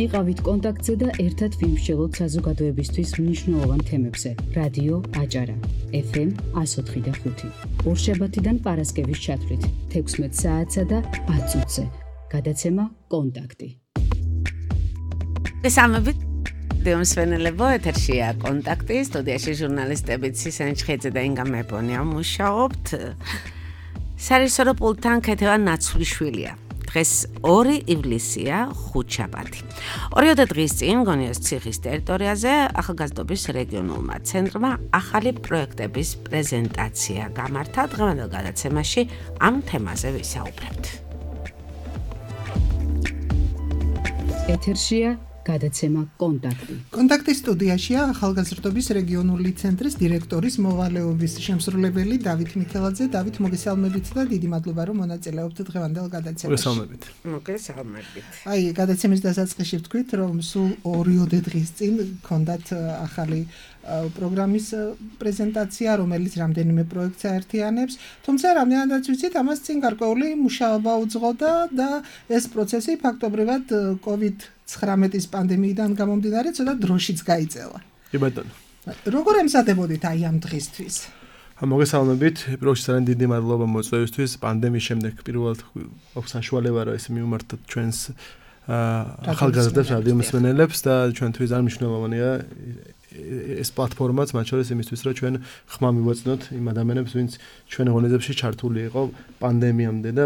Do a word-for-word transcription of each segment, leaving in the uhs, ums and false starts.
იყავით კონტაქტზე და ერთად ვიმსჯელოთ საზოგადოებისთვის მნიშვნელოვან თემებზე. რადიო აჭარა, ეფ ემ εκατო ოთხი და ხუთი. ორშაბათიდან პარასკევის ჩათვლით, თექვსმეტ საათსა და ათ წუთზე. გადაცემა კონტაქტი. გესალმებით. დიომსვენელებო, ეთერშია კონტაქტი, სტუდიაში ჟურნალისტები ცისენ ჩხეძე და ინგა მეპონია მუშაობთ. სარისორო პულტთან ქეთევა ნაცვლიშვილია. დღეს ორი ივლისია, ხუთშაბათი. ორიოდე დღის წინ გონიოს ციხის ტერიტორიაზე ახალგაზრდობის რეგიონულმა ცენტრმა ახალი პროექტების პრეზენტაცია გამართა. დღევანდელ გადაცემაში ამ თემაზე ვისაუბრებთ. ეთერშია გადაცემა კონტაქტი. კონტაქტის სტუდიაშია ახალგაზრდობის რეგიონული ცენტრის დირექტორის მოვალეობის შემსრულებელი დავით მიქელაძე. დავით, მოგესალმებით და დიდი მადლობა რომ მონაწილეობთ დღევანდელ გადაცემაში. მოგესალმებით. მოგესალმებით. აი, გადაცემის დასაწყისში ვთქვით, რომ სულ ორიოდე დღის წინ გქონდათ ახალი პროგრამის პრეზენტაცია, რომელიც რამდენიმე პროექტს აერთიანებს, თუმცა რამდენადაც ვიცით, ამას წინ გარკვეული მუშაობა უძღოდა და ეს პროცესი ფაქტობრივად კოვიდ ცხრამეტის პანდემიიდან გამომდინარე ცოტა დროშიც გაიწელა. კი ბატონო. როგორ ემზადებოდით აი ამ დღისთვის? მოგესალმებით. პირველში ძალიან დიდი მადლობა მოწვევისთვის. პანდემიის შემდეგ პირველად აქვს საშუალება რომ ეს მივმართოთ ჩვენს ახალგაზრდებს, რადიო მსმენელებს და ჩვენთვის ძალიან მნიშვნელოვანია ეს პლატფორმაც, მათ შორის იმისთვის, რომ ჩვენ ხმა მივაწნოთ იმ ადამიანებს, ვინც ჩვენ ღონისძიებაში ჩართული იყო პანდემიამდე და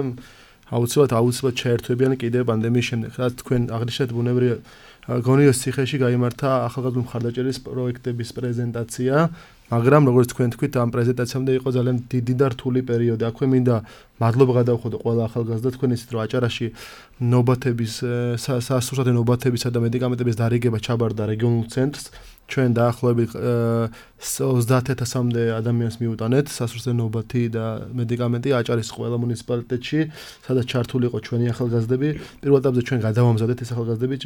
აუცილებლად აუცილებლად შეერთვებიან კიდევ პანდემიის შემდეგ. რაც თქვენ აღნიშნეთ, ბუნებრივია გონიოს ციხეში გაიმართა ახალგაზრდა მხარდაჭერის პროექტების პრეზენტაცია, მაგრამ როგორც თქვენ თქვით, ამ პრეზენტაციამდე იყო ძალიან დიდი და რთული პერიოდი. აქვე მინდა მადლობა გადავხოდო ყველა ახალგაზრდა, თქვენ იცით, რომ აჭარაში ნობათების, სასურსათო ნობათებისა და მედიკამენტების დარიგება ჩაბარდა რეგიონულ ცენტრს. ჩვენ დაახლოებით ოცდაათ ათასამდე ადამიანს მიუტანეთ სასურსათო ნობათი და მედიკამენტი აჭარის ყველა მუნიციპალიტეტში, სადაც ჩართული იყო ჩვენი ახალგაზრდები. პირველ ეტაპზე ჩვენ გადავამზადეთ ეს ახალგაზრდები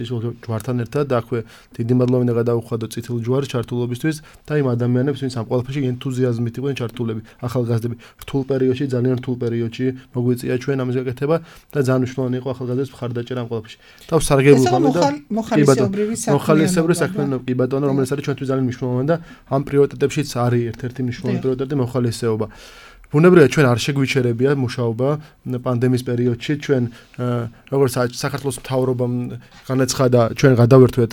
ჯვართან ერთად და აქვე დიდი მადლობა მინდა გადავუხადო წითელ ჯვარს ჩართულობისთვის და იმ ადამიანებს, ვინც ამ ყველაფერში ენთუზიაზმით იყვნენ ჩართულები, ახალგაზრდები. რთულ პერიოდში, ძალიან რთულ პერიოდში მოგვიწია ჩვენ ამის გაკეთება და ძალიან მნიშვნელოვანი იყო ახალგაზრდების მხარდაჭერა ამ ყველაფერში. თავს სარგებლობ და მოხალისეობრივი საქმიანობა, კი ბატონო, რომელიც არის ჩვენთვის ძალიან მნიშვნელოვანი და ამ პრიორიტეტებშიც არის ერთ-ერთი მნიშვნელოვანი პრიორიტეტი მოხალისეობა. ბუნებრივია ჩვენ არ შეგვიჩერებია მუშაობა პანდემიის პერიოდში. ჩვენ როგორც საქართველოს მთავრობამ განაცხადა, ჩვენ გადავერთვეთ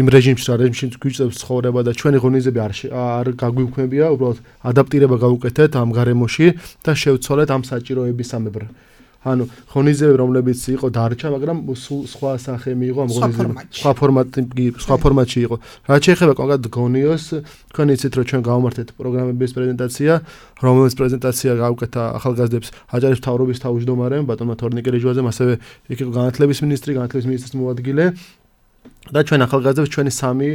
იმ რეჟიმში, რა რეჟიმში გვიჭირებს ცხოვრება და ჩვენი ღონისძიებები არ არ გაგვიქმნებია, უბრალოდ ადაპტირება გავუკეთეთ ამ გარემოში და შევცვალეთ ამ საჭიროებისამებრ. ანუ ღონისძიებები, რომლებიც იყო დარჩა, მაგრამ სხვა სახე მიიღო ამ ღონისძიებამ. სხვა ფორმატი, სხვა ფორმატში იყო. რაც შეეხება კონკრეტულად გონიოს, თქვენ იცით, რომ ჩვენ გავამართეთ პროგრამების პრეზენტაცია, რომელიც პრეზენტაცია გავუკეთა ახალგაზრდებს აჭარის მთავრობის თავმჯდომარემ, ბატონმა თორნიკე რიჟვაძემ, ასევე იქ იყო განათლების მინისტრი, განათლების მინისტრის მოადგილე. და ჩვენ ახალგაზრდებს ჩვენი სამი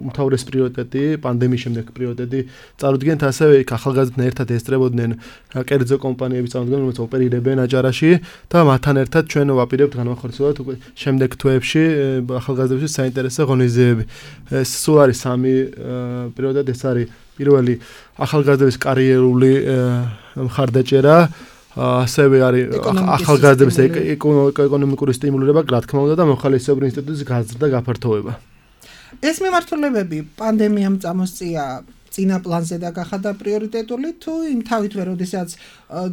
უმთავრესი პრიორიტეტი, პანდემიის შემდეგ პრიორიტეტი წარუდგენთ, ასევე იქ ახალგაზრდებთან ერთად ესწრებოდნენ კერძო კომპანიები წარუდგენენ, რომელიც ოპერირებენ აჭარაში და მათთან ერთად ჩვენ ვაპირებთ განმახორციელოთ უკვე შემდეგ თვეებში ახალგაზრდების საინტერესო ღონისძიებები. ეს სულ არის სამი პრიორიტეტი, ეს არის პირველი ახალგაზრდების კარიერული მხარდაჭერა, ასევე არის ახალგაზრდების ეკონომიკური სტიმულირება, რა თქმა უნდა, და მოხალისეობრივი ინსტიტუტის გაზრდა გაფართოვება. ეს მიმართულებები პანდემიამ წამოსწია წინა პლანზე და გახადა პრიორიტეტული, თუ იმ თავითვე, როდესაც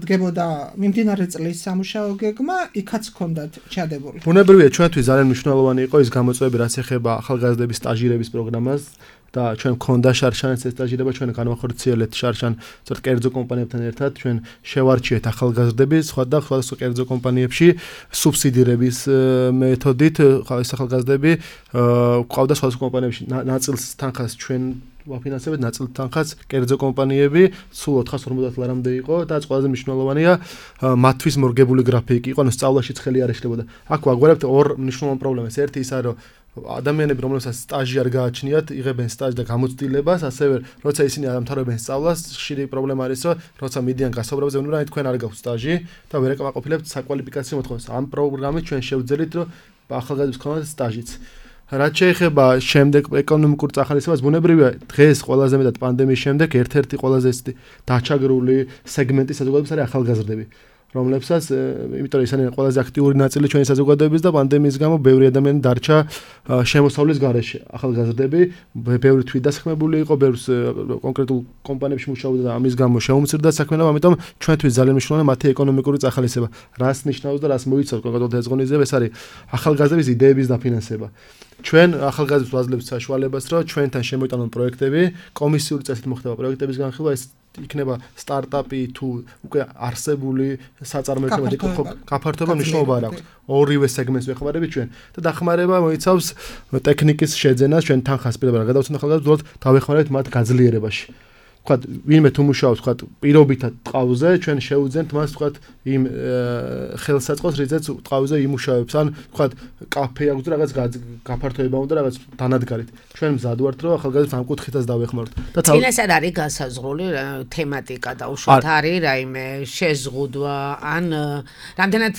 დგებოდა მიმდინარე წლის სამუშაო გეგმა, იქაც ჰქონდათ ჩადებული? ბუნებრივია, ჩვენთვის ძალიან მნიშვნელოვანი იყო ის გამოწვევები, რაც ეხება ახალგაზრდების სტაჟირების პროგრამას. და ჩვენ გქონდა შარშანის ეს სტაჟირება, ჩვენ განვახორციელეთ შარშან ცოტა კერძო კომპანიებთან ერთად, ჩვენ შევარჩიეთ ახალგაზრდები სხვა და სხვა კერძო კომპანიებში სუბსიდირების მეთოდით, ეს ახალგაზრდები ყავდა სხვა კომპანიებში ნაწილს თანხას ჩვენ ვაფინანსებთ, ნაწილს თანხას კერძო კომპანიები, სულ ოთხას ორმოცდაათ ლარამდე იყო და ყველაზე მნიშვნელოვანია მათთვის მორგებული გრაფიკი იყო, ანუ სწავლაში ცხელი არ ეშლებოდა. აქ ვაგვარებთ ორ მნიშვნელოვან პრობლემას. ერთი ისა, რომ ადამიანები, რომლებსაც სტაჟი არ გააჩნიათ, იღებენ სტაჟს და გამოცდილებას, ასევე როცა ისინი ამთავრებენ სწავლას, ხშირი პრობლემა არის, რომ როცა მიდიან გასაუბრებაზე, უნდა თქვენ არ გაქვთ სტაჟი და ვერ აკმაყოფილებთ საკვალიფიკაციო მოთხოვნას. ამ პროგრამით ჩვენ შევძელით, რომ ახალგაზრდებს ქონათ სტაჟიც. რაც შეეხება შემდეგ ეკონომიკურ წახალისებას, ბუნებრივია დღეს ყველაზე მეტად პანდემიის შემდეგ ერთ-ერთი ყველაზე დაჩაგრული სეგმენტი საზოგადოების არის ახალგაზრდები. რომლებსაც იმიტომ რომ ისინი ყველაზე აქტიური ნაწილი ჩვენი საზოგადოების და პანდემიის გამო ბევრი ადამიანი დარჩა შემოსავლის გარეშე. ახალგაზრდები ბევრი თვითდასხმებული იყო, ბევრს კონკრეტულ კომპანიებში მუშაობდა და ამის გამო შეუმცირდა საქმიანობა, ამიტომ ჩვენთვის ძალიან მნიშვნელოვანია მათი ეკონომიკური წახალისება. რას ნიშნავს და რას მოიცავს კონკრეტულად ეს ღონისძიება, ეს არის ახალგაზრდების იდეების დაფინანსება. ჩვენ ახალგაზრდებს ვაძლევთ საშუალებას, რომ ჩვენთან შემოიტანონ პროექტები, კომისიური წესით მოხდება პროექტების განხილვა, ეს იქნება სტარტაპი თუ უკვე არსებული საწარმოები გაფართოება მნიშვნელობა არ აქვს. ორივე სეგმენტს ვეხმარებით ჩვენ და დახმარება მოიცავს ტექნიკის შეძენას, ჩვენ თანხას პირდაპირ გადავცემთ ახალგაზრდებს, დავეხმარებით მათ გაძლიერებაში. ვთქვათ, ვინმე თუ მუშაობს, ვთქვათ, პირობითად ტყავზე, ჩვენ შევუძენთ მას, ვთქვათ, იმ ხელსაწყოს, რითაც ტყავზე იმუშავებს, ან ვთქვათ, კაფე აქვს და რაღაც გაფართოება უნდა რაღაც დანადგარით. ჩვენ მზად ვართ, რომ ახალგაზრდებს ამ კუთხითაც დავეხმაროთ. და წინას არ არის განსაზღვრული თემატიკა და უშუალოდ არის რაიმე შეზღუდვა, ან რამდენად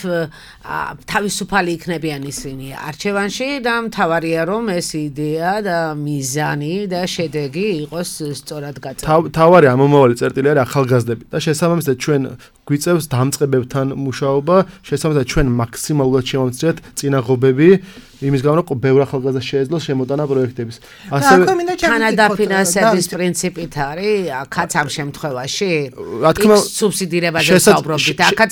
თავისუფალი იქნებიან ისინი არჩევანში და მთავარია რომ ეს იდეა და მიზანი და შედეგი იყოს სწორად გაწეული. თავარი ამომავალი წერტილი არის ახალგაზრდები და შესაბამისად ჩვენ გვიწევს დამწყებებთან მუშაობა, შესაბამისად ჩვენ მაქსიმალურად შევამცირებთ წინაღობები იმის გამო რომ ბევრ ახალგაზრდას შეეძლოს შემოტანა პროექტების. ასევე თანადაფინანსების პრინციპით არის აქაც ამ შემთხვევაში სუბსიდირებაზე საუბრობთ, აქაც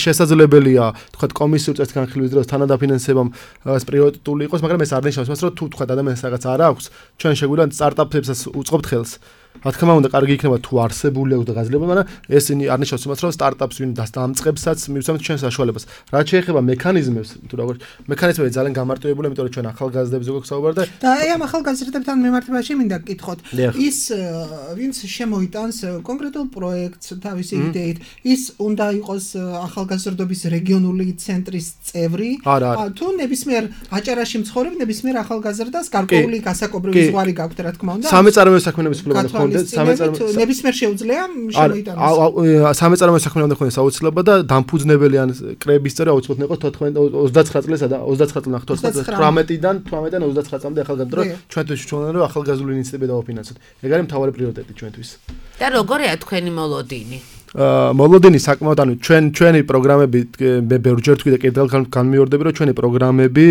შესაძლებელია თქვა კომისიურ წესით განხილვის დროს თანადაფინანსებამ პრიორიტეტული იყოს, მაგრამ ეს არ ნიშნავს მას რომ თუ თქვა ადამიანს რაღაც არ აქვს, ჩვენ შეგვიძლია სტარტაპებსაც უწყობთ ხელს. რა თქმა უნდა, კარგი იქნება თუ არსებული აქვს და გაძლიერება, მაგრამ ეს არ ნიშნავს იმას, რომ სტარტაპს ვინ დასამწყებსაც მივცემთ ჩვენ საშუალებას. რაც შეეხება მექანიზმებს, თუ როგორ მექანიზმები ძალიან გამარტივებულია, იმიტომ რომ ჩვენ ახალგაზრდებს ზოგადად საუბარდა და აი ამ ახალგაზრდებთან მიმართებაში მინდა გკითხოთ. ის ვინც შემოიტანს კონკრეტულ პროექტს თავისი იდეით, ის უნდა იყოს ახალგაზრდობის რეგიონული ცენტრის წევრი, თუ ნებისმიერ აჭარაში მცხოვრებ ნებისმიერ ახალგაზრდას გარკვეული გასაკობრივი ზღვარი გაქვთ, რა თქმა უნდა. სამეწარმეო საქმიანობის ფლობა ნებისმიერ შეუძლია შემოიტანოს. სამეწარმეო საქმიანობა უნდა ქონდეს აუცილებლად და დამფუძნებელი ან კრების წევრი აუცილებლად იყო ოცდაცხრა წლისა და ოცდაცხრა წლიდან თორმეტიდან თორმეტიდან ოცდაცხრა წლამდე ახალგაზრდა რომ ჩვენთვის ჩვენთან რომ ახალგაზრდული ინიციატივა დავაფინანსოთ. ეგ არის მთავარი პრიორიტეტი ჩვენთვის. და როგორია თქვენი მოლოდინი? მოლოდინი საკმაოდ ანუ ჩვენ ჩვენი პროგრამები მე ბევრჯერ თქვი და კიდევ განმეორდები რომ ჩვენი პროგრამები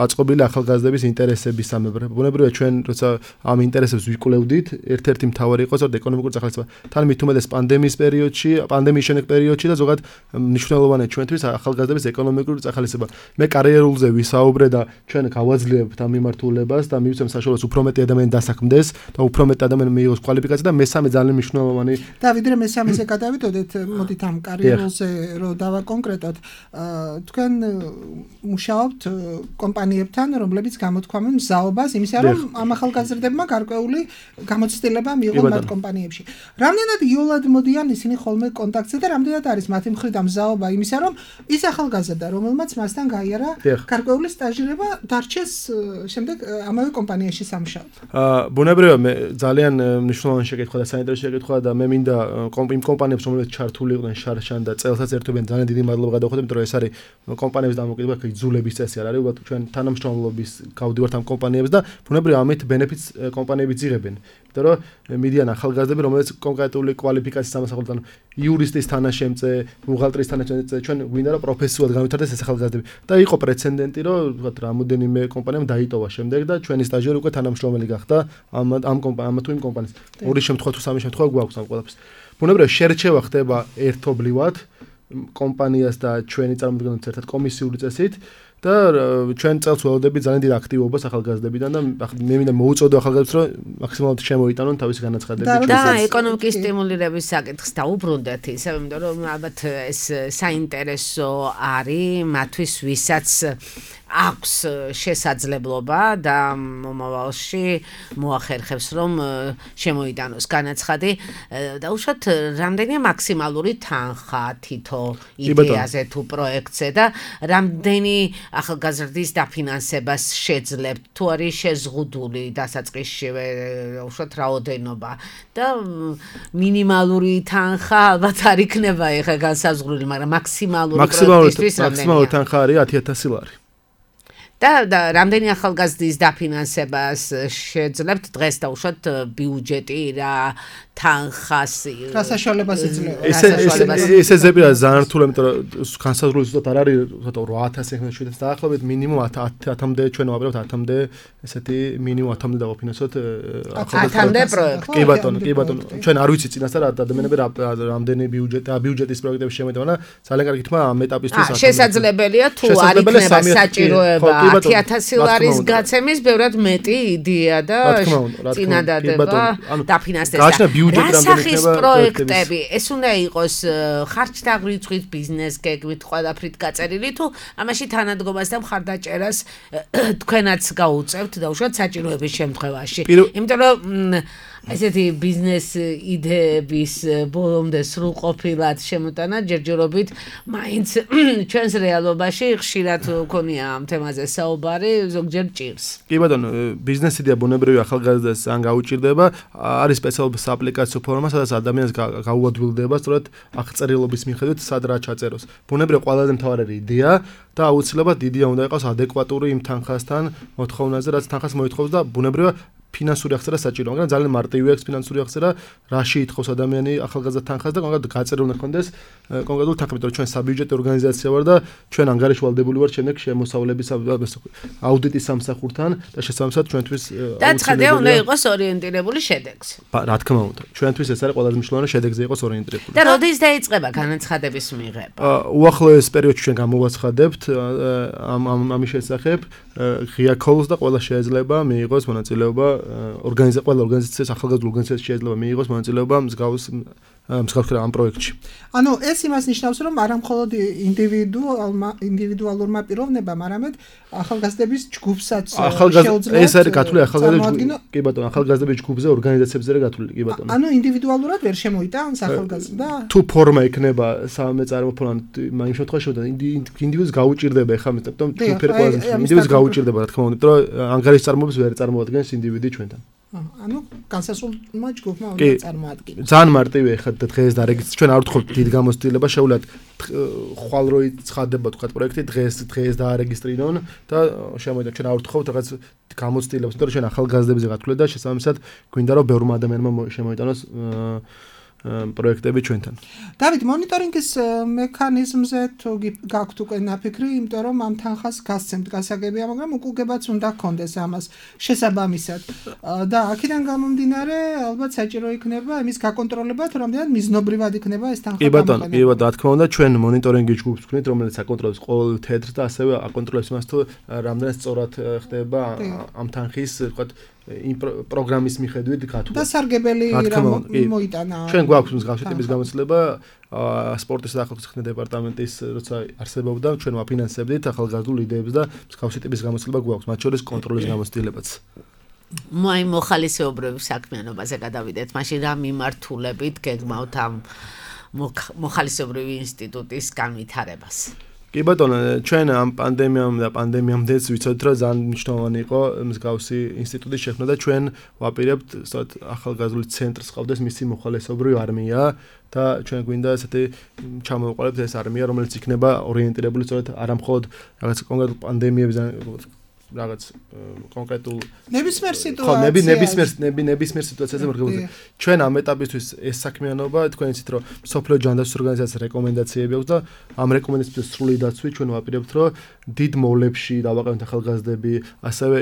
აწყობილია ახალგაზრდების ინტერესების სამებრ. ბუნებრივია ჩვენ როცა ამ ინტერესებს ვიკვლევდით, ერთ-ერთი მთავარი იყო ზოგადად ეკონომიკური წახალისება. თან მით უმეტეს პანდემიის პერიოდში, პანდემიის შემდეგ პერიოდში და ზოგადად მნიშვნელოვანია ჩვენთვის ახალგაზრდების ეკონომიკური წახალისება. მე კარიერულზე ვისაუბრე და ჩვენ გავაძლიერებთ ამ მიმართულებას და მივცემ საშუალებას უფრო მეტი ადამიანი დასაქმდეს და უფრო მეტი ადამიანი მიიღოს კვალიფიკაცია და მესამე ძალიან მნიშვნელოვანი და ვიდრე მესამეზე გადავიდოდეთ, მოდით ამ კარიერულზე რომ დავაკონკრეტოთ, თქვენ მუშაობთ კომპანიებთან, რომლებიც გამოთქვამენ მზაობას იმისა, რომ ამ ახალგაზრდებმა გარკვეული გამოცდილება მიიღონ მათ კომპანიებში. რამდენად იოლად მოდიან ისინი ხოლმე კონტაქტზე და რამდენად არის მათი მხრიდან მზაობა იმისა, რომ ის ახალგაზრდა, რომელმაც მასთან გაიარა გარკვეული სტაჟირება, დარჩეს შემდეგ ამავე კომპანიაში სამუშაოდ. ბუნებრივია მე ძალიან მნიშვნელოვანი შეკითხვა და საინტერესო შეკითხვა და მე მინდა იმ კომპანიებს რომელიც ჩართული იყვნენ შარშან და წელსაც ერთობენ ძალიან დიდი მადლობა გადავხდები, იმიტომ რომ ეს არის კომპანიების დამოკიდება, იძულების წესი არ არის, უბრალოდ ჩვენ თანამშრომლობის გავდივართ ამ კომპანიებს და ბუნებრივია ამით ბენეფიტს კომპანიები ძიღებენ. იმიტომ რომ მიდიან ახალგაზრდები, რომელიც კონკრეტული კვალიფიკაციის სამასახურებთან იურისტის თანაშემწე, ბუღალტერის თანაშემწე, ჩვენ გვინდა რომ პროფესიულად განვითარდეს ეს ახალგაზრდები. და იყო პრეცედენტი, რომ ვთქვათ, რამოდენიმე კომპანიამ დაიტოვა შემდეგ და ჩვენი სტაჟიორი უკვე თანამშრომელი გახდა ამ ამ კომპანიამ თუ იმ კომპანიის. ორი შემთხვევა თუ სამი შემთხვევა გვაქვს ამ ყველაფერს. ბუნებრივია შერჩევა ხდება ერთობლივად კომპანიას და ჩვენი წარმომადგენლებს ერთად კომისიური წესით და ჩვენ წელს ველოდები ძალიან დიდ აქტივობას ახალგაზრდებიდან და მე მინდა მოუწოდო ახალგაზრდებს რომ მაქსიმალურად შემოიტანონ თავისი განაცხადები და ეკონომიკის სტიმულირების საკითხს დაუბრუნდეთ ისე იმიტომ რომ ალბათ ეს საინტერესო არის მათთვის ვისაც აქვს შესაძლებლობა და მომავალში მოახერხებს რომ შემოიტანოს განაცხადი და უშუალოდ რამდენია მაქსიმალური თანხა თითო იდეაზე თუ პროექტზე და რამდენი ახალგაზრდის დაფინანსებას შეძლებთ თუ არის შეზღუდული დასაწყისშივე უშუალოდ რაოდენობა და მინიმალური თანხა ალბათ არ იქნება ეხლა განსაზღვრული მაგრამ მაქსიმალური პროექტისთვის მაქსიმალური თანხა არის ათი ათასი ლარი და რამდენი ახალგაზრდის დაფინანსებას შეძლებთ დღეს დაუშვათ ბიუჯეტი რა თანხასი რა საშუალებას იძლევა ესე ესე ზებია ძალიან რთული იმიტომ რომ განსაზღვრული ზუსტად არ არის რვა ათასი შვიდას დაახლოებით მინიმუმ ათამდე ჩვენ ვაპირებთ ათამდე ესეთი მინიმუმ ათამდე დავაფინანსოთ ათამდე პროექტი კი ბატონო კი ბატონო ჩვენ არ ვიცით წინასწარ ადამიანები რამდენი ბიუჯეტი ბიუჯეტის პროექტები შემოიტანა ძალიან კარგი თქმა ამ ეტაპისთვის შესაძლებელია თუ არ იქნება საჭიროება ათი ათასი ლარის გაცემის ბევრად მეტი იდეა და წინადადება დაფინანსდება რა სახის პროექტები ეს უნდა იყოს ხარჯთაღრიცხვით ბიზნეს გეგმით ყველაფრით გაწერილი თუ ამაში თანადგომას და მხარდაჭერას თქვენაც გაუწევთ დაუშვათ საჭიროების შემთხვევაში იმიტომ რომ ესეთი ბიზნეს იდეების ბოლომდე სრულყოფილად შემოტანა ჯერჯერობით მაინც ჩვენს რეალობაში ხშირად ქონია ამ თემაზე საუბარი ზოგჯერ ჭირს. კი ბატონო, ბიზნეს იდეა ბუნებრივი ახალგაზრდას ან გაუჭირდება, არის სპეციალური აპლიკაციო ფორმა, სადაც ადამიანს გაუადვილდება სწორედ აღწერილობის მიხედვით სად რა ჩაწეროს. ბუნებრივი ყველაზე მთავარი იდეა და აუცილებლად იდეა უნდა იყოს ადეკვატური იმ თანხასთან, მოთხოვნაზე, რაც თანხას მოითხოვს და ბუნებრივია ფინანსური აღწერა საჭიროა, მაგრამ ძალიან მარტივია ეს ფინანსური აღწერა, რაში ითხოვს ადამიანი ახალგაზრდა თანხას და კონკრეტულად გაწერილი უნდა ქონდეს კონკრეტული თანხა, იმიტომ რომ ჩვენ საბიუჯეტო ორგანიზაცია ვარ და ჩვენ ანგარიში ვალდებული ვარ შემდეგ შემოსავლების აუდიტის სამსახურთან და შესაბამისად ჩვენთვის და ცხადია უნდა იყოს ორიენტირებული შედეგზე. რა თქმა უნდა, ჩვენთვის ეს არის ყველაზე მნიშვნელოვანი შედეგზე იყოს ორიენტირებული. და როდის დაიწყება განაცხადების მიღება? უახლოეს პერიოდში ჩვენ გამოვაცხადებთ ამ ამის შესახებ ღია call-ს და ყველა შეიძლება მიიღოს მონაწილეობა ორგანიზაცია ყველა ორგანიზაციას ახალგაზრდა ორგანიზაციას შეიძლება მიიღოს მონაწილეობა მსგავს მსგავს ამ პროექტში. ანუ ეს იმას ნიშნავს რომ არა მხოლოდ ინდივიდუალურმა ინდივიდუალურმა პიროვნებამ, არამედ ახალგაზრდების ჯგუფსაც შეუძლია ეს არის გათვლილი ახალგაზრდა კი ბატონო ახალგაზრდების ჯგუფზე ორგანიზაციებზე არის გათვლილი კი ბატონო. ანუ ინდივიდუალურად ვერ შემოიტანს ახალგაზრდა? თუ ფორმა იქნება სამეწარმო ფორმა იმ შემთხვევაში ინდივიდუს გაუჭირდება ეხლა მეტყვი თუ ფერ ყველაზე ინდივიდუს გაუჭირდება რა თქმა უნდა იმიტომ რომ ანგარიშის წარმოების ვერ წარმოადგენს ინდივიდი ჩვენთან. ანუ განსასრულმა ჯგუფმა უნდა წარმოადგინოს. ძალიან მარტივია ეხლა დღეს დარეგისტრირება ჩვენ არ ვთხოვთ დიდ გამოცდილება შეუძლია ხვალ რო ცხადდება თქვა პროექტი დღეს დღეს დაარეგისტრირონ და შემოიდგა ჩვენ არ ვთხოვთ რაღაც გამოცდილებას იმიტომ რომ ჩვენ ახალგაზრდებზე გათვლით და შესაბამისად გვინდა რომ ბევრმა ადამიანმა შემოიტანოს პროექტები ჩვენთან. დავით, მონიტორინგის მექანიზმზე თუ გაქვთ უკვე ნაფიქრი, იმიტომ რომ ამ თანხას გასცემთ გასაგებია, მაგრამ უკუგებაც უნდა გქონდეს ამას შესაბამისად. და აქედან გამომდინარე, ალბათ საჭირო იქნება იმის გაკონტროლება, თუ რამდენად მიზნობრივად იქნება ეს თანხა. კი ბატონო, კი ბატონო, რა თქმა უნდა, ჩვენ მონიტორინგის ჯგუფს ვქნით, რომელიც აკონტროლებს ყოველ თეთრს და ასევე აკონტროლებს იმას, თუ რამდენად სწორად ხდება ამ თანხის, ვთქვათ, იმ პროგრამის მიხედვით გათვლა. და სარგებელი რა მოიტანა. ჩვენ გვაქვს მსგავსი ტიპის გამოცდილება სპორტის და ახალგაზრდობის ხსნის დეპარტამენტის როცა არსებობდა ჩვენ ვაფინანსებდით ახალგაზრდულ იდეებს და მსგავსი ტიპის გამოცდილება გვაქვს მათ შორის კონტროლის გამოცდილებაც. მაი მოხალისეობრივი საქმიანობაზე გადავიდეთ, მაშინ რა მიმართულებით გეგმავთ ამ მოხალისეობრივი ინსტიტუტის განვითარებას? კი ბატონო, ჩვენ ამ პანდემიამ და პანდემიამდეც ვიცოდით, რომ ძალიან მნიშვნელოვანი იყო მსგავსი ინსტიტუტის შექმნა და ჩვენ ვაპირებთ სწორედ ახალგაზრდული ცენტრს ყავდეს მისი მოხალისეობრივი არმია და ჩვენ გვინდა ესეთი ჩამოვყალიბოთ ეს არმია, რომელიც იქნება ორიენტირებული სწორედ არა მხოლოდ რაღაც კონკრეტულ პანდემიებზე რაღაც კონკრეტულ ნებისმიერ სიტუაციაზე. ხო, ნები ნებისმიერ ნები ნებისმიერ სიტუაციაზე მორგებულზე. ჩვენ ამ ეტაპისთვის ეს საქმიანობა თქვენ იცით რომ სოფლიო ჯანდაცვის ორგანიზაციას რეკომენდაციები აქვს და ამ რეკომენდაციების სრული დაცვით ჩვენ ვაპირებთ რომ დიდ მოვლებში დავაყენოთ ახალგაზრდები, ასევე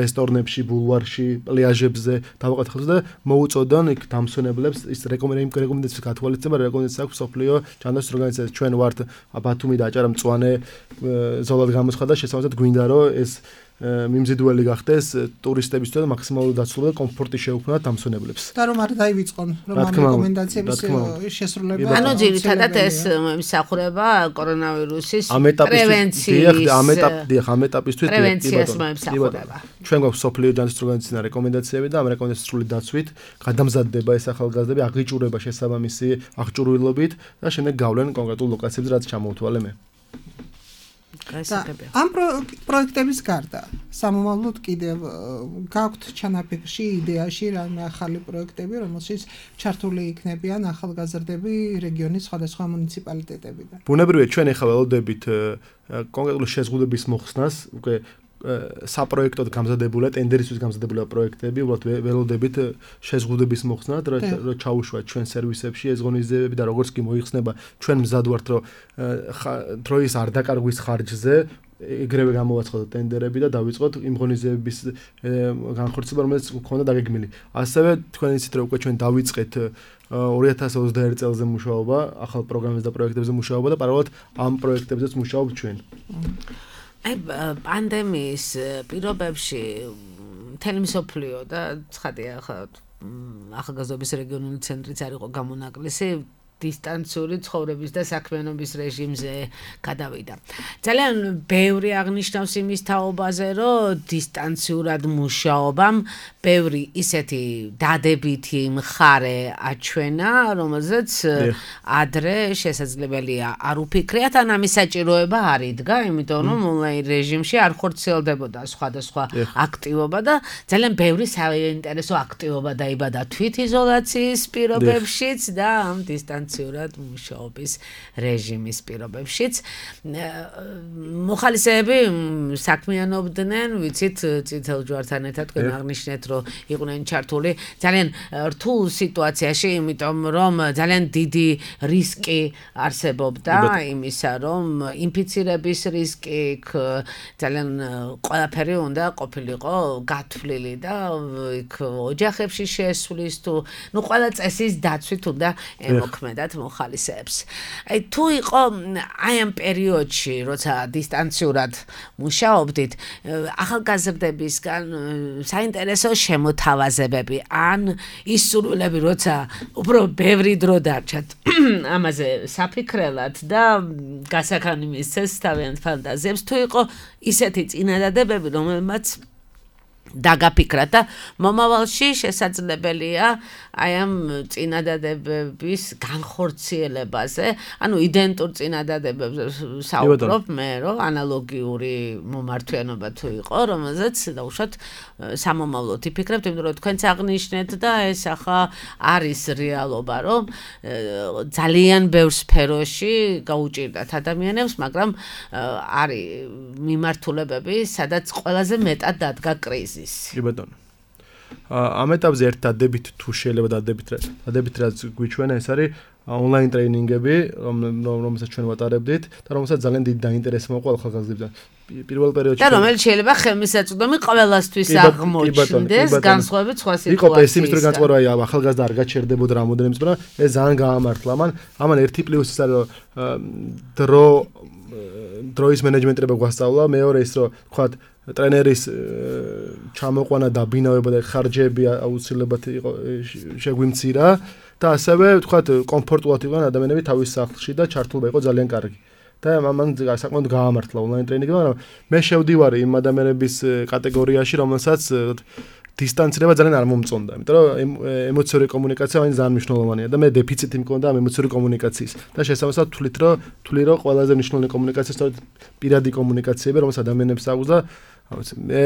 რესტორნებში, ბულვარში, პლაჟებზე დავაყენოთ ახალგაზრდებს და მოუწოდონ იქ დამსვენებლებს ის რეკომენდაციების გათვალისწინება, რეკომენდაცია აქვს სოფლიო ჯანდაცვის ორგანიზაციას. ჩვენ ვართ ბათუმი და აჭარა მწვანე ზოლად გამოცხადა შესაბამისად გვინდა რომ ეს მიმზიდველი გახდეს ტურისტებისთვის და მაქსიმალური დაცვა და კომფორტი შეუქმნათ დამსვენებლებს. და რომ არ დაივიწყონ რომ ამ რეკომენდაციების შესრულება. ანუ ძირითადად ეს მსახურება კორონავირუსის პრევენციის ამ ეტაპი ამ ეტაპისთვის პრევენციას მომსახურება. ჩვენ გვაქვს სოფლიო ჯანდაცვის ორგანიზაციის რეკომენდაციები და ამ რეკომენდაციების სრული დაცვით გადამზადდება ეს ახალგაზრდები აღიჭურება შესაბამისი აღჭურვილობით და შემდეგ გავლენ კონკრეტულ ლოკაციებზე რაც ჩამოვთვალე მე. ამ პროექტების გარდა სამომავლოდ კიდევ გაქვთ ჩანაფიქრში, იდეაში რამე ახალი პროექტები, რომელშიც ჩართული იქნებიან ახალგაზრდები რეგიონის სხვადასხვა მუნიციპალიტეტებიდან. ბუნებრივია, ჩვენ ახლა ველოდებით კონკრეტული შეზღუდვების მოხსნას, უკვე საპროექტოდ გამზადებული, ტენდერისთვის გამზადებული პროექტები, უბრალოდ ველოდებით შეზღუდვების მოხსნად, რომ ჩაუშვათ ჩვენ სერვისებში ეს ღონისძიებები და როგორც კი მოიხსნება, ჩვენ მზად ვართ, რომ დროის არ დაკარგვის ხარჯზე ეგრევე გამოვაცხადოთ ტენდერები და დავიწყოთ იმ ღონისძიებების განხორციელება, რომელიც გქონდა დაგეგმილი. ასევე თქვენ იცით, რომ უკვე ჩვენ დავიწყეთ ორი ათას ოცდაერთი წელზე მუშაობა, ახალ პროგრამებზე და პროექტებზე მუშაობა და პარალელურად ამ პროექტებზეც მუშაობთ ჩვენ. აი პანდემიის პირობებში მთელი მსოფლიო და ცხადია ახლა ახალგაზრდობის რეგიონული ცენტრიც არ იყო გამონაკლისი დისტანციური ცხოვრების და საქმიანობის რეჟიმზე გადავიდა. ძალიან ბევრი აღნიშნავს იმის თაობაზე, რომ დისტანციურად მუშაობამ ბევრი ისეთი დადებითი მხარე აჩვენა, რომელზეც ადრე შესაძლებელია არ უფიქრიათ, ან ამის საჭიროება არ იდგა, იმიტომ რომ ონლაინ რეჟიმში არ ხორციელდებოდა სხვადასხვა აქტივობა და ძალიან ბევრი საინტერესო აქტივობა დაიბადა თვითიზოლაციის პირობებშიც და ამ დისტანციურად მუშაობის რეჟიმის პირობებშიც. მოხალისეები საქმიანობდნენ, ვიცით, წითელ ჯვართან ერთად თქვენ აღნიშნეთ, რომ იყვნენ ჩართული ძალიან რთულ სიტუაციაში, იმიტომ რომ ძალიან დიდი რისკი არსებობდა იმისა, რომ ინფიცირების რისკი, ძალიან ყველაფერი უნდა ყოფილიყო გათვლილი და იქ ოჯახებში შესვლის თუ ნუ ყველა წესის დაცვით უნდა ემოქმედათ მოხალისეებს. აი თუ იყო აი ამ პერიოდში, როცა დისტანციურად მუშაობდით, ახალგაზრდებისგან საინტერესო შემოთავაზებები ან ის სურვილები, როცა უფრო ბევრი დრო დარჩათ ამაზე საფიქრელად და გასახანი მისცეს თავიანთ ფანტაზიებს, თუ იყო ისეთი წინადადებები, რომელმაც დაგაფიქრათ და მომავალში შესაძლებელია აი ამ წინადადებების განხორციელებაზე, ანუ იდენტურ წინადადებებზე საუბრობ მე, რომ ანალოგიური მომართვიანობა თუ იყო, რომელზეც დაუშვათ სამომავლოდ იფიქრებთ, იმიტომ რომ თქვენც აღნიშნეთ და ეს ახლა არის რეალობა, რომ ძალიან ბევრ სფეროში გაუჭირდათ ადამიანებს, მაგრამ არის მიმართულებები, სადაც ყველაზე მეტად დადგა კრიზისი. კი ბატონო. ამ ეტაპზე ერთ დადებით თუ შეიძლება დადებით დადებით რაც გვიჩვენა ეს არის ონლაინ ტრეინინგები, რომელსაც ჩვენ ვატარებდით და რომელსაც ძალიან დიდი დაინტერესება მოყვა ახალგაზრდებთან. პირველ პერიოდში და რომელიც შეიძლება ხელმისაწვდომი ყველასთვის აღმოჩნდეს, განსხვავებით სხვა სიტუაციისგან. იყო პესიმისტური განწყობა, აი ახალგაზრდა არ გაჩერდებოდა რამოდენიმე წუთი, მაგრამ ეს ძალიან გაამართლა. ამან ამან ერთი პლუსი ის არის, რომ დრო დროის მენეჯმენტება გვასწავლა, მეორე ის რომ თქვათ ტრენერის ჩამოყვანა და ბინავება და ხარჯები აუცილებლად იყო შეგვიმცირა და ასევე ვთქვათ კომფორტულად იყვნენ ადამიანები თავის სახლში და ჩართულობა იყო ძალიან კარგი. და ამან საკმაოდ გაამართლა ონლაინ ტრეინინგი, მაგრამ მე შევდივარ იმ ადამიანების კატეგორიაში, რომელსაც დისტანცირება ძალიან არ მომწონდა, იმიტომ რომ ემოციური კომუნიკაცია მაინც ძალიან მნიშვნელოვანია და მე დეფიციტი მქონდა ამ ემოციური კომუნიკაციის და შესაბამისად თვლით რომ თვლი რომ ყველაზე მნიშვნელოვანი კომუნიკაცია სწორედ პირადი კომუნიკაციები, რომელსაც ადამიანებს აქვს და მე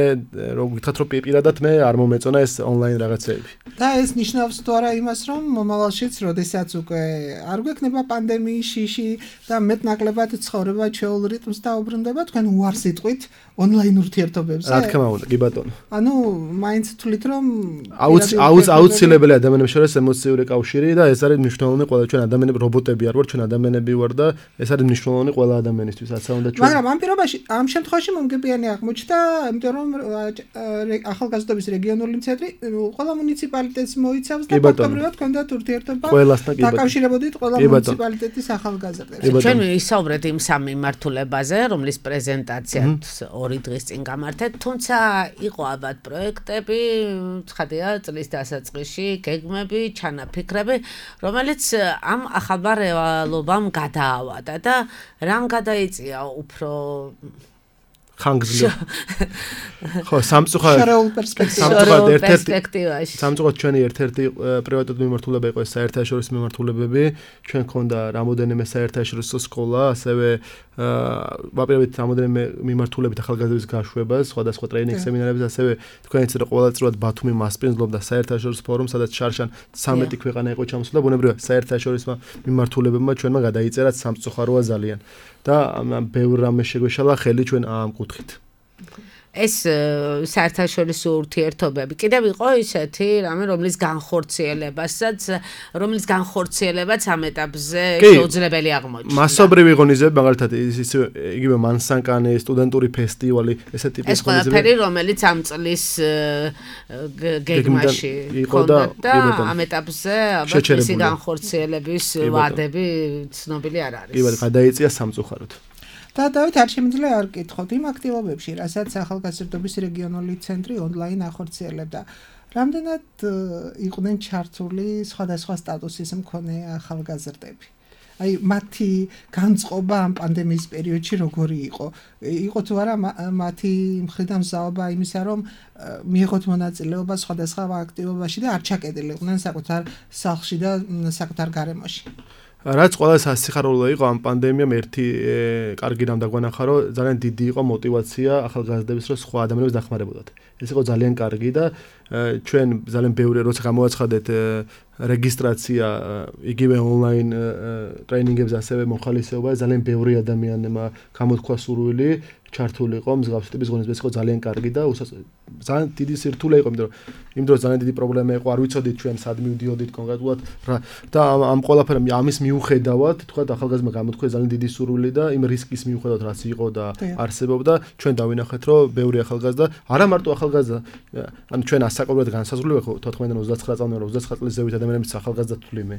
რო გითხრათ რომ პირადად მე არ მომეწონა ეს ონლაინ რაღაცეები. და ეს ნიშნავს თუ არა იმას, რომ მომავალშიც, როდესაც უკვე არ გვექნება პანდემიის შიში და მეტნაკლებად ცხოვრება ჩვეულ რიტმს დაუბრუნდება, თქვენ უარს იტყვით ონლაინ ურთიერთობებზე. რა თქმა უნდა, კი ბატონო. ანუ მაინც თვლით რომ აუცილებელია ადამიანებს შორის ემოციური კავშირი და ეს არის მნიშვნელოვანი ყველა ჩვენ ადამიანები რობოტები არ ვარ, ჩვენ ადამიანები ვარ და ეს არის მნიშვნელოვანი ყველა ადამიანისთვის, რაცა უნდა ჩვენ. მაგრამ ამ პირობაში, ამ შემთხვევაში მომგებიანი აღმოჩნდა, იმიტომ რომ ახალგაზრდობის რეგიონული ცენტრი ყველა მუნიციპალიტეტს მოიცავს და ფაქტობრივად ჰქონდათ ურთიერთობა დაკავშირებოდით ყველა მუნიციპალიტეტის ახალგაზრდებს. ჩვენ ვისაუბრეთ იმ სამ მიმართულებაზე, რომლის პრეზენტაციაც ორი დღის წინ გამართეთ, თუმცა იყო ალბათ პროექტები, ცხადია, წლის დასაწყისში, გეგმები, ჩანაფიქრები, რომელიც ამ ახალ რეალობამ გადაავადა და რამ გადაიწია უფრო ხანგრძლივ. ხო, სამწუხაროდ შორეულ პერსპექტივაში. სამწუხაროდ ჩვენი ერთ-ერთი პრივატული მიმართულება იყო ეს საერთაშორისო მიმართულებები. ჩვენ ქონდა რამოდენიმე საერთაშორისო სკოლა, ასევე ვაპირებთ რამოდენიმე მიმართულებით ახალგაზრდების გაშვებას, სხვადასხვა ტრეინინგ სემინარებს, ასევე თქვენ იცით რომ ყოველწლიურად ბათუმი მასპინძლობდა საერთაშორისო ფორუმს, სადაც შარშან ცამეტი ქვეყანა იყო ჩამოსული და ბუნებრივია საერთაშორისო მიმართულებებმა ჩვენმა გადაიწერა სამწუხაროა ძალიან. და ბევრ რამე შეგვეშალა ხელი ჩვენ ამ კუთხით. ეს საერთაშორისო ურთიერთობები კიდევ იყო ისეთი რამე რომლის განხორციელებასაც რომლის განხორციელებაც ამ ეტაპზე შეუძლებელი აღმოჩნდა. მასობრივი ღონისძიებები მაგალითად ის იგივე მანსანკანი სტუდენტური ფესტივალი ესე ტიპის ღონისძიებები. ეს ყველაფერი რომელიც ამ წლის გეგმაში იყო და ამ ეტაპზე ალბათ მისი განხორციელების ვადები ცნობილი არ არის. კი ბატონო, გადაიწია სამწუხაროდ. და დავით არ შემიძლია არ გკითხოთ იმ აქტივობებში, რასაც ახალგაზრდობის რეგიონული ცენტრი ონლაინ ახორციელებდა. რამდენად იყვნენ ჩართული სხვადასხვა სტატუსის მქონე ახალგაზრდები? აი მათი განწყობა ამ პანდემიის პერიოდში როგორი იყო? იყო თუ არა მათი მხრიდან მზაობა იმისა, რომ მიიღოთ მონაწილეობა სხვადასხვა აქტივობაში და არ ჩაკეტილიყვნენ საკუთარ სახლში და საკუთარ გარემოში? რაც ყველას ასიხარულო იყო ამ პანდემიამ ერთი კარგი რამ დაგვანახა რომ ძალიან დიდი იყო мотиваცია ახალგაზრდების რომ სხვა ადამიანებს დახმარებოდათ. ეს იყო ძალიან კარგი და ჩვენ ძალიან ბევრი როცა გამოვაცხადეთ რეგისტრაცია იგივე ონლაინ ტრეინინგებზე ასევე მოხალისეობა ძალიან ბევრი ადამიანმა გამოთქვა სურვილი ჩართული იყო მსგავსი ტიპის ღონისძიებაში იყო ძალიან კარგი და ძალიან დიდი სირთულე იყო იმიტომ რომ იმ დროს ძალიან დიდი პრობლემა იყო არ ვიცოდით ჩვენ სად მივდიოდით კონკრეტულად და ამ ყველაფერ ამის მიუხედავად თქვა ახალგაზრდა გამოთქვა ძალიან დიდი სურვილი და იმ რისკის მიუხედავად რაც იყო და არსებობდა ჩვენ დავინახეთ რომ ბევრი ახალგაზრდა არა მარტო ახალგაზრდა ანუ ჩვენ ასაკობრივად განსაზღვრული ვიყო თოთხმეტიდან ოცდაცხრა წლამდე ოცდაცხრა წლის ზევით ადამიანებიც ახალგაზრდა თვლიმე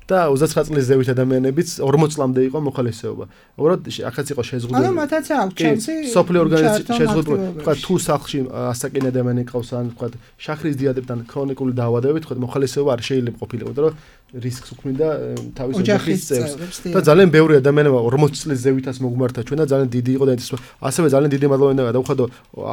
და ოცდაცხრა წლის ზევით ადამიანებიც ორმოც წლამდე იყო მოხალისეობა. უბრალოდ ახაც იყო შეზღუდული. ანუ მათაც აქვს შანსი სოფლიო ორგანიზაცია შეზღუდული. თქვა თუ სახლში ასაკენ ადამიანი ყავს ან თქვა შახრის დიაბეტთან ქრონიკული დაავადებებით, თქვა მოხალისეობა არ შეიძლება ყოფილიყო, იმიტომ რომ რისკს უქმნიდა თავის ოჯახის წევრს. და ძალიან ბევრი ადამიანებმა ორმოც წლის ზევითაც მოგმართა ჩვენ და ძალიან დიდი იყო და ასევე ძალიან დიდი მადლობა გადავხადო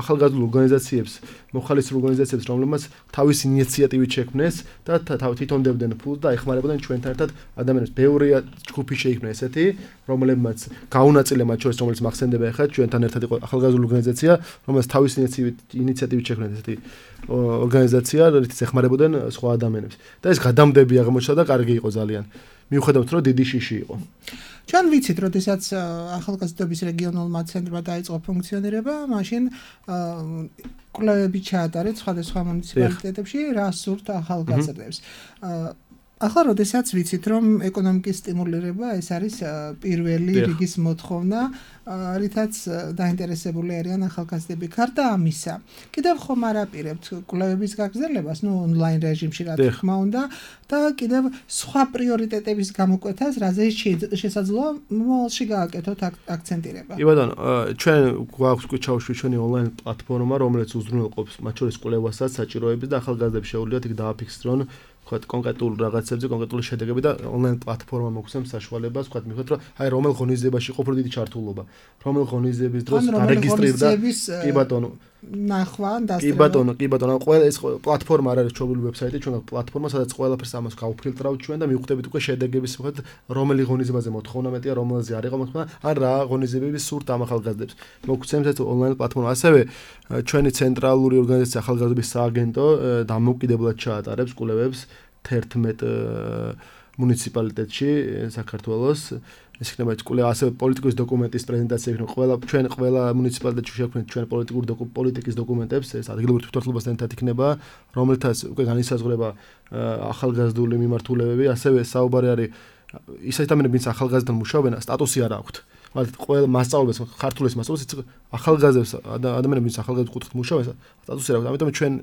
ახალგაზრდულ ორგანიზაციებს, მოხალისეულ ორგანიზაციებს, რომლებმაც თავის ინიციატივით შექმნეს და თვითონ დებდნენ ფულს და ეხმარებოდნენ ჩვენთან ერთად ადამიანებს. ბევრი ჯგუფი შეიქმნა ესეთი, რომლებმაც გაუნაწილე მათ შორის, რომელიც მახსენდება ახლა ჩვენთან ერთად იყო ახალგაზრდული ორგანიზაცია, რომელსაც თავის ინიციატივით შექმნეს ესეთი ორგანიზაცია, რომელიც ეხმარებოდნენ სხვა ადამიანებს. და ეს გადამდები აღმოჩნდა და კარგი იყო ძალიან. მიუხედავად რომ დიდი შიში იყო. ჩვენ ვიცით, როდესაც ახალგაზრდობის რეგიონულმა ცენტრმა დაიწყო ფუნქციონირება, მაშინ კვლევები ჩაატარეთ სხვადასხვა მუნიციპალიტეტებში, რა სურთ ახალგაზრდებს. ახლა როდესაც ვიცით, რომ ეკონომიკის სტიმულირება ეს არის პირველი რიგის მოთხოვნა, რითაც დაინტერესებული არიან ახალგაზრდები. გარდა ამისა, კიდევ ხომ არ აპირებთ კვლევების გაგრძელებას, ნუ ონლაინ რეჟიმში რა თქმა უნდა, და კიდევ სხვა პრიორიტეტების გამოკვეთას, რაზე შესაძლოა მომავალში გააკეთოთ აქცენტირება. კი ბატონო, ჩვენ გვაქვს კუჩაუში ჩვენი ონლაინ პლატფორმა, რომელიც უზრუნველყოფს მათ შორის კვლევასაც, საჭიროების და ახალგაზრდებს შეუძლიათ იქ დააფიქსირონ ვთქვათ კონკრეტულ რაღაცებზე, კონკრეტული შედეგები და ონლაინ პლატფორმა მოგცემს საშუალებას, ვთქვათ, მივხვდეთ, რომ აი რომელ ღონისძიებაში იყო უფრო დიდი ჩართულობა, რომელ ღონისძიების დროს დარეგისტრირდა, კი ბატონო, ნახვა ან დასწრება. კი ბატონო, კი ბატონო, ყველა ეს პლატფორმა არ არის ჩვენი ვებსაიტი, ჩვენ გვაქვს პლატფორმა, სადაც ყველაფერს ამას გავფილტრავთ ჩვენ და მივხვდებით უკვე შედეგების, ვთქვათ, რომელი ღონისძიებაზე მოთხოვნა მეტია, რომელზე არ იყო მოთხოვნა, ან რა ღონისძიებები სურთ ამ ახალგაზრდებს. მოგცემს ეს ონლაინ პლატფორმა. ასევე ჩვენი ცენტრალური ორგანიზაცია ახალგაზრდობის სააგენტო დამოუკიდებლად ჩაატარებს კვლევებს თერთმეტ მუნიციპალიტეტში საქართველოს. ეს იქნება კვლევა ასევე პოლიტიკის დოკუმენტის პრეზენტაცია იქნება ყველა ჩვენ ყველა მუნიციპალიტეტში შევქმნით ჩვენ პოლიტიკურ პოლიტიკის დოკუმენტებს ეს ადგილობრივ თვითმმართველობასთან ერთად იქნება რომელთაც უკვე განისაზღვრება ახალგაზრდული მიმართულებები ასევე საუბარი არის ის ადამიანები ვინც ახალგაზრდთან მუშაობენ სტატუსი არ აქვთ მათ ყველა მასწავლებლებს ქართულის მასწავლებლებს ახალგაზრდებს ადამიანები ვინც ახალგაზრდულ კუთხით მუშაობენ სტატუსი არ აქვთ ამიტომ ჩვენ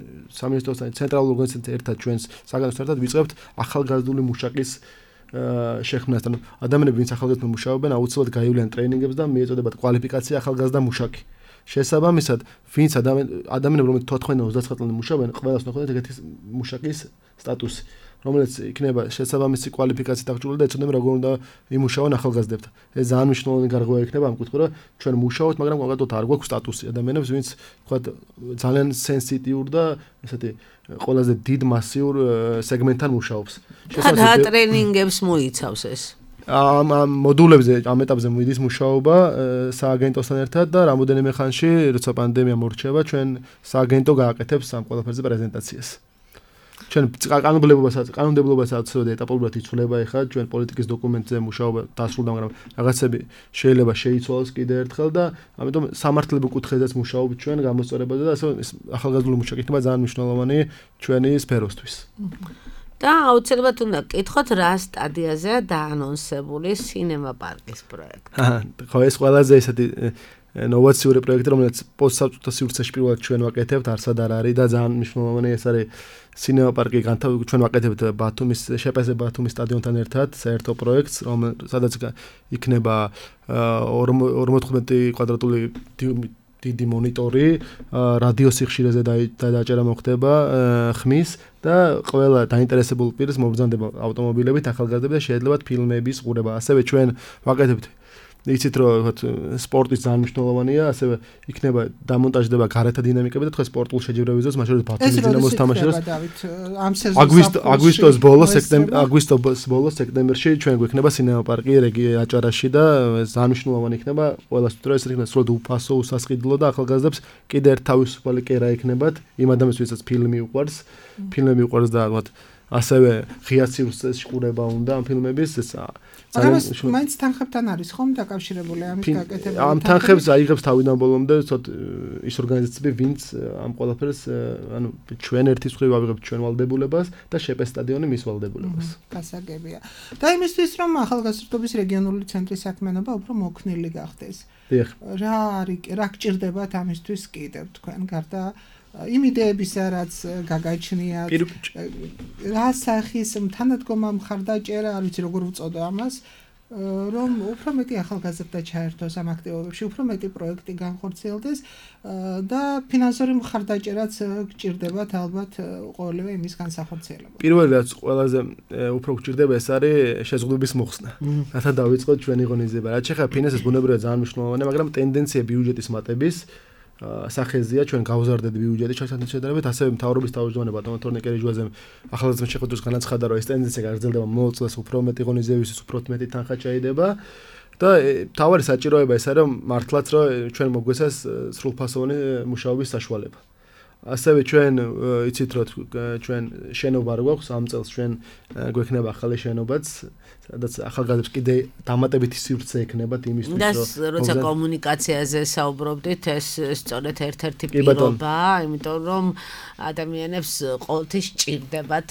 სამინისტროსთან ცენტრალურ ორგანიზაციასთან ერთად ჩვენს საგანძურთან ერთად ვიწყებთ ახალგაზრდული მუშაკის შექმნას ანუ ადამიანები ვინც ახალგაზრდად მუშაობენ აუცილებლად გაივლიან ტრეინინგებს და მიეწოდებათ კვალიფიკაცია ახალგაზრდა მუშაკი შესაბამისად ვინც ადამიანები რომლებიც თოთხმეტ ოცდაცხრა წლამდე მუშაობენ ყველას ნახოთ ეგეთი მუშაკის სტატუსი რომელიც იქნება შესაბამისი კვალიფიკაციით აღჭურვილი და ეცოდნენ როგორ უნდა იმუშაონ ახალგაზრდებთან. ეს ძალიან მნიშვნელოვანი გარღვევა იქნება ამ კუთხით, რომ ჩვენ მუშაობთ, მაგრამ კონკრეტულად არ გვაქვს სტატუსი ადამიანებს, ვინც თქვა ძალიან სენსიტიურ და ესეთი ყველაზე დიდ მასიურ სეგმენტთან მუშაობს. და ტრენინგებს მოიცავს ეს. ამ მოდულებზე ამ ეტაპზე მიდის მუშაობა სააგენტოსთან ერთად და რამოდენიმე ხანში, როცა პანდემია მორჩება, ჩვენ სააგენტო გააკეთებს ამ ყველაფერზე პრეზენტაციას. ჩვენ კანონმდებლობასაც კანონმდებლობასაც ეტაპობრივად იცვლება ახლა ჩვენ პოლიტიკის დოკუმენტზე მუშაობა დასრულდა, მაგრამ რაღაცები შეიძლება შეიცვალოს კიდევ ერთხელ და ამიტომ სამართლებრივ კუთხეზეც მუშაობთ ჩვენ გამოსწორებაზე და ასე ახალგაზრდული მუშაკი იქნება ძალიან მნიშვნელოვანი ჩვენი სფეროსთვის. და აუცილებლად უნდა გკითხოთ რა სტადიაზეა დაანონსებული სინემა პარკის პროექტი. ხო, ეს ყველაზე ესეთი ნოვაციური პროექტი, რომელიც პოსტსაბჭოთა სივრცეში პირველად ჩვენ ვაკეთებთ, არსად არ არის და ძალიან მნიშვნელოვანი ეს არის სინემა პარკი განთავ ჩვენ ვაკეთებთ ბათუმის შეპეზე ბათუმის სტადიონთან ერთად საერთო პროექტს, სადაც იქნება ორმოცდახუთმეტი კვადრატული დიდი მონიტორი, რადიო სიხშირეზე დააჭერა მოხდება ხმის და ყველა დაინტერესებულ პირს მობრძანდება ავტომობილებით, ახალგაზრდები და შეეძლებათ ფილმების ყურება. ასევე ჩვენ ვაკეთებთ იცით რომ სპორტის ძალიან მნიშვნელოვანია, ასევე იქნება დამონტაჟდება გარეთა დინამიკები და თქვენ სპორტულ შეჯიბრებებს მაშინ ბათუმის დინამოს თამაშობს. ამ სეზონს აგვისტოს ბოლოს სექტემბერში აგვისტოს ბოლოს სექტემბერში ჩვენ გვექნება სინემა პარკი აჭარაში და ძალიან მნიშვნელოვანი იქნება ყველასთვის, რომ ეს იქნება სრულად უფასო, უსასყიდლო და ახალგაზრდებს კიდე ერთ თავისუფალი კერა ექნებათ იმ ადამიანებს, ვისაც ფილმი უყვარს, ფილმები უყვარს და ასევე ღია სივრცეში ყურება უნდა ამ ფილმების ეს მაგრამ მაინც თანხებთან არის ხომ დაკავშირებული ამის გაკეთება? ამ თანხებს აიღებს თავიდან ბოლომდე ცოტ ის ორგანიზაციები, ვინც ამ ყველაფერს ანუ ჩვენ ერთის მხრივ ავიღებთ ჩვენ ვალდებულებას და შეპეს სტადიონი მის ვალდებულებას. გასაგებია. და იმისთვის რომ ახალგაზრდობის რეგიონული ცენტრის საქმიანობა უფრო მოქნილი გახდეს. რა არის რა გჭირდებათ ამისთვის კიდევ თქვენ გარდა იმ იდეებისა, რაც გაგაჩნიათ, რა სახის თანადგომა მხარდაჭერა, არ ვიცი როგორ ვწოდო ამას, რომ უფრო მეტი ახალგაზრდა ჩაერთოს ამ აქტივობებში, უფრო მეტი პროექტი განხორციელდეს და ფინანსური მხარდაჭერაც გჭირდებათ ალბათ ყოველივე იმის განსახორციელებლად. პირველი რაც ყველაზე უფრო გჭირდება ეს არის შეზღუდვების მოხსნა. რათა დავიწყოთ ჩვენი ღონისძიება. რაც შეხება ფინანსებს, ბუნებრივია ძალიან მნიშვნელოვანია, მაგრამ ტენდენცია ბიუჯეტის მატების სახეზია ჩვენ გავზარდეთ ბიუჯეტი ჩვენთან შედარებით, ასევე მთავრობის თავმჯდომარე ბატონო თორნიკე რეჯვაძემ ახალგაზრდების შეხვედრას განაცხადა, რომ ეს ტენდენცია გაგრძელდება მომავალ წელს, უფრო მეტი ღონისძიებისთვის უფრო მეტი თანხა ჩაიდება და თავარი საჭიროება ეს არის, რომ მართლაც რომ ჩვენ მოგვეცეს სრულფასოვანი მუშაობის საშუალება. ასევე ჩვენ იცით რომ ჩვენ შენობა არ გვაქვს, ამ წელს ჩვენ გვექნება ახალი შენობაც, სადაც ახალგაზრდებს კიდე დამატებითი სივრცე ექნებათ იმისთვის, რომ და როცა კომუნიკაციაზე საუბრობდით, ეს სწორედ ერთ-ერთი პირობაა, იმიტომ რომ ადამიანებს ყოველთვის ჭირდებათ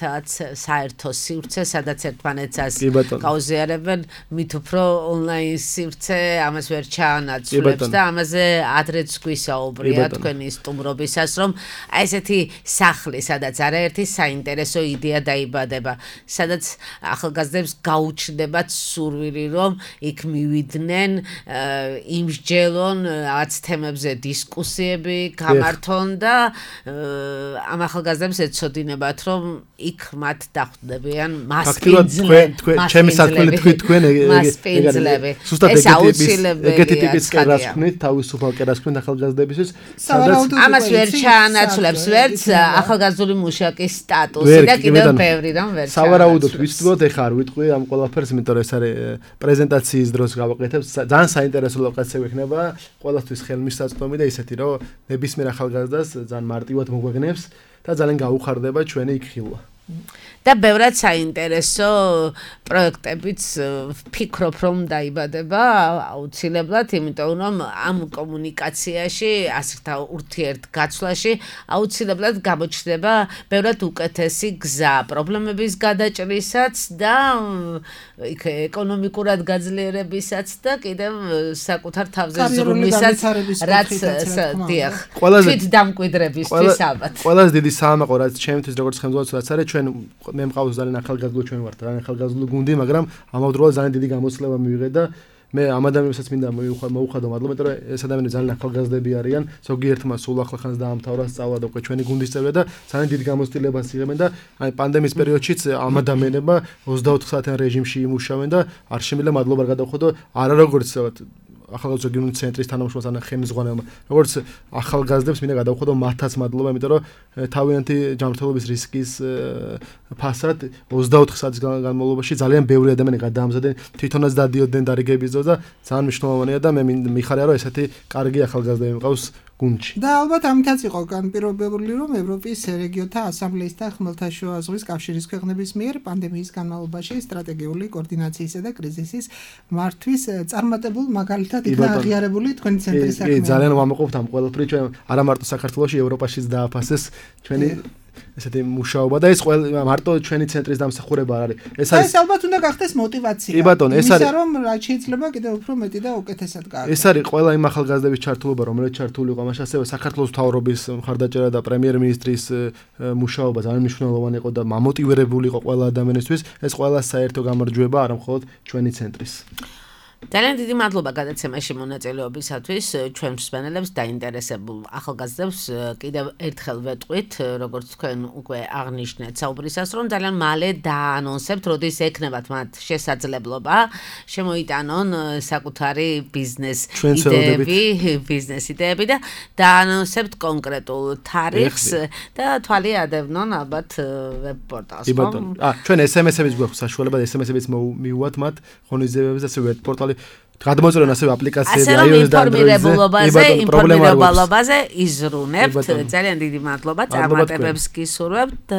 საერთო სივრცე, სადაც ერთმანეთს გაუზიარებენ, მით უფრო ონლაინ სივრცე ამას ვერ ჩაანაცვლებს და ამაზე ადრეც გვისაუბრია თქვენი სტუმრობისას, რომ აი ესეთი სახლი, სადაც არაერთი საინტერესო იდეა დაიბადება, სადაც ახალგაზრდებს გაუჩნდებათ სურვილი, რომ იქ მივიდნენ, იმსჯელონ, რაღაც თემებზე დისკუსიები გამართონ და ამ ახალგაზრდებს ეცოდინებათ, რომ იქ მათ დახვდებიან მასპინძლები. ჩემი საქმე თქვი თქვენ მასპინძლები. ეს აუცილებელია. ეგეთი ტიპის კერას ვქნით, თავისუფალ კერას ვქნით ახალგაზრდების, სადაც ამას ვერ ჩაანაცვლებს ვერც ახალგაზრდული მუშაკის სტატუსი და კიდევ ბევრი რამ ვერ ჩაანაცვლებს. სავარაუდოდ ვისწროთ, ეხლა არ ვიტყვი ამ ყველაფერს, იმიტომ რომ ეს არის პრეზენტაციის დროს გავაკეთებ, ძალიან საინტერესო ლოკაცია ექნება, ყველასთვის ხელმისაწვდომი და ისეთი, რომ ნებისმიერ ახალგაზრდას ძალიან მარტივად მოგვეგნებს და ძალიან გაუხარდება ჩვენი იქ ხილვა. და ბევრად საინტერესო პროექტებიც ვფიქრობ, რომ დაიბადება აუცილებლად, იმიტომ რომ ამ კომუნიკაციაში, ასეთ ურთიერთგაცვლაში აუცილებლად გამოჩნდება ბევრად უკეთესი გზა პრობლემების გადაჭრისაც და იქ ეკონომიკურად გაძლიერებისაც და კიდევ საკუთარ თავზე ზრუნვისაც, რაც დიახ, თვით დამკვიდრებისთვის ალბათ. ყველაზე დიდი საამაყო, რაც ჩემთვის როგორც ხელმძღვანელს რაც არის, ჩვენ მე მყავს ძალიან ახალგაზრდული ჩვენ ვართ, ძალიან ახალგაზრდული გუნდი, მაგრამ ამავდროულად ძალიან დიდი გამოცდილება მივიღე და მე ამ ადამიანებსაც მინდა მოუხადო მადლობა, იმიტომ რომ ეს ადამიანები ძალიან ახალგაზრდები არიან, ზოგიერთმა სულ ახლახანს დაამთავრა სწავლა და უკვე ჩვენი გუნდის წევრია და ძალიან დიდ გამოცდილებას იღებენ და აი პანდემიის პერიოდშიც ამ ადამიანებმა ოცდაოთხ საათიან რეჟიმში იმუშავენ და არ შემიძლია მადლობა გადავხოდო არა როგორც ახალგაზრდა გიმნაზიის ცენტრის თანამშრომელს ან ხელმძღვანელმა, როგორც ახალგაზრდებს მინდა გადავხოდო მათაც მადლობა, იმიტომ რომ თავიანთი ჯანმრთელობის რისკის ფასად ოცდაოთხ საათის განმავლობაში ძალიან ბევრი ადამიანი გადაამზადნენ, თვითონაც დადიოდნენ დარიგების დროს და ძალიან მნიშვნელოვანია და მე მიხარია რომ ესეთი კარგი ახალგაზრდები მყავს გუნდში. და ალბათ ამითაც იყო განპირობებული რომ ევროპის რეგიონთა ასამბლეის და ხმელთაშუა ზღვის კავშირის ქვეყნების მიერ პანდემიის განმავლობაში სტრატეგიული კოორდინაციისა და კრიზისის მართვის წარმატებულ მაგალითად იქნა აღიარებული თქვენი ცენტრის საქმე. კი, ძალიან ვამაყობთ ამ ყველაფრით, ჩვენ არა მარტო საქართველოში, ევროპაშიც დააფასეს ჩვენი ესეთი მუშაობა და ეს ყველა მარტო ჩვენი ცენტრის დამსახურება არ არის. ეს არის ეს ალბათ უნდა გახდეს мотиваცია. კი ბატონო, ეს არის რომ რაც შეიძლება კიდევ უფრო მეტი და უკეთესად გააკეთოს. ეს არის ყველა იმ ახალგაზრდების ჩართულობა, რომელიც ჩართული იყო ამაში, ასევე საქართველოს მთავრობის მხარდაჭერა და პრემიერ-მინისტრის მუშაობა ძალიან მნიშვნელოვანი იყო და მამოტივირებული იყო ყველა ადამიანისთვის. ეს ყველა საერთო გამარჯვება არა მხოლოდ ჩვენი ცენტრის. ძალიან დიდი მადლობა გადაცემაში მონაწილეობისათვის ჩვენ მსმენელებს დაინტერესებულ ახალგაზრდებს კიდევ ერთხელ ვეტყვით როგორც თქვენ უკვე აღნიშნეთ საუბრისას რომ ძალიან მალე დაანონსებთ როდის ექნებათ მათ შესაძლებლობა შემოიტანონ საკუთარი ბიზნეს იდეები ბიზნეს იდეები და დაანონსებთ კონკრეტულ თარიღს და თვალი ადევნონ ალბათ ვებ პორტალს კი ბატონო ა ჩვენ ეს ემ ეს-ებიც გვაქვს საშუალება ეს ემ ეს-ებიც მივუვათ მათ ღონისძიებებს და ვებ პორტალი გადმოწერონ ასევე აპლიკაციები iOS და Android-ზე, ინფორმირებულობაზე იზრუნებთ. ძალიან დიდი მადლობა წარმატებებს გისურვებთ.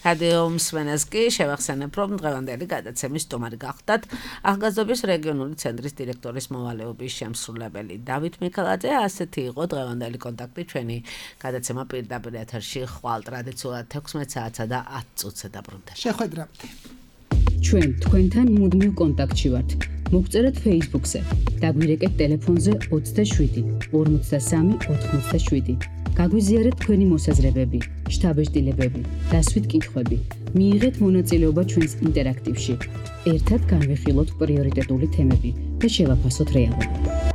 რადიო მსმენელს კი შევახსენებ, რომ დღევანდელი გადაცემის სტუმარი გახდათ ახალგაზრდობის რეგიონული ცენტრის დირექტორის მოვალეობის შემსრულებელი დავით მიქელაძე. ასეთი იყო დღევანდელი კონტაქტი ჩვენი გადაცემა პირდაპირ ეთერში ხვალ ტრადიციულად თექვსმეტ საათსა და ათ წუთზე დაბრუნდა. შეხვედრამდე. ჩვენ თქვენთან მუდმივ კონტაქტში ვართ. მოგწერეთ Facebook-ზე, დაგვირეკეთ ტელეფონზე ოცდაშვიდი ორმოცდასამი ოთხმოცდაშვიდი. გაგვიზიარეთ თქვენი მოსაზრებები, შთაბეჭდილებები, დასვით კითხვები. მიიღეთ მონაწილეობა ჩვენს ინტერაქტივში. ერთად განვიხილოთ პრიორიტეტული თემები და შევაფასოთ რეალობა.